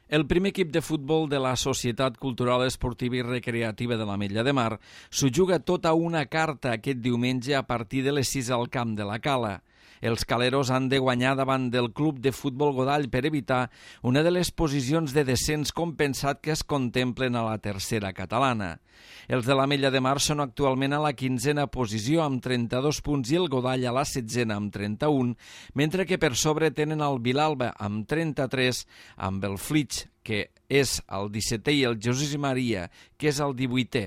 El primer equip de futbol de la Societat Cultural Esportiva i Recreativa de l'Ametlla de Mar s'ho juga tota una carta aquest diumenge a partir de les 6 al camp de la Cala. Els caleros han de guanyar davant del Club de Futbol Godall per evitar una de les posicions de descens compensat que es contemplen a la tercera catalana. Els de l'Ametlla de Mar són actualment a la 15a posició amb 32 punts i el Godall a la 16a amb 31, mentre que per sobre tenen el Vilalba amb 33, amb el Flix, que és el 17è, i el Jesús i Maria, que és el 18è.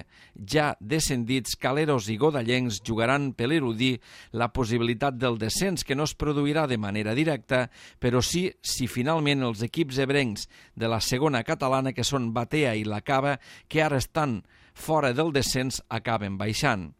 Ja descendits, caleros i godallencs jugaran per eludir la possibilitat del descens, que no es produirà de manera directa, però sí si finalment els equips ebrencs de la segona catalana, que són Batea i la Cava, que ara estan fora del descens, acaben baixant.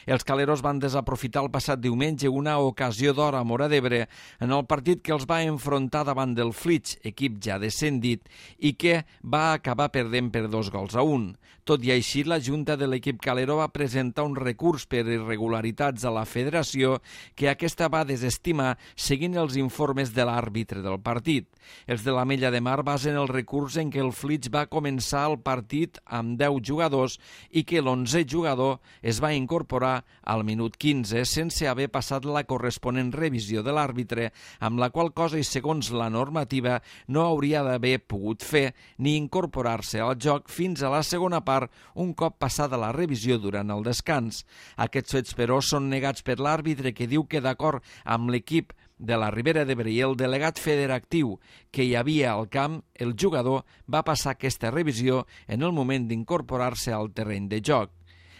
Els caleros van desaprofitar el passat diumenge una ocasió d'or a Móra d'Ebre en el partit que els va enfrontar davant del Flix, equip ja descendit, i que va acabar perdent per 2-1. Tot i així, la Junta de l'equip calero va presentar un recurs per irregularitats a la federació que aquesta va desestimar seguint els informes de l'àrbitre del partit. Els de l'Ametlla de Mar basen el recurs en que el Flix va començar el partit amb 10 jugadors i que l'11è jugador es va incorporar al minut 15 sense haver passat la corresponent revisió de l'àrbitre, amb la qual cosa i segons la normativa no hauria d'haver pogut fer ni incorporar-se al joc fins a la segona part un cop passada la revisió durant el descans. Aquests fets, però, són negats per l'àrbitre, que diu que d'acord amb l'equip de la Ribera d'Ebre i el delegat federatiu que hi havia al camp, el jugador va passar aquesta revisió en el moment d'incorporar-se al terreny de joc.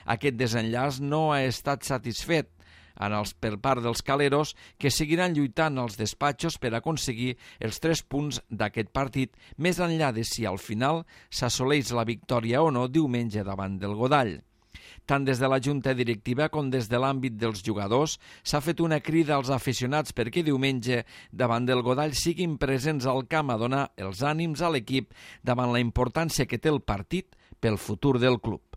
Aquest desenllaç no ha estat satisfet per part dels caleros, que seguiran lluitant als despatxos per aconseguir els 3 punts d'aquest partit, més enllà de si al final s'assoleix la victòria o no diumenge davant del Godall. Tant des de la Junta Directiva com des de l'àmbit dels jugadors s'ha fet una crida als aficionats perquè diumenge davant del Godall siguin presents al camp a donar els ànims a l'equip davant la importància que té el partit pel futur del club.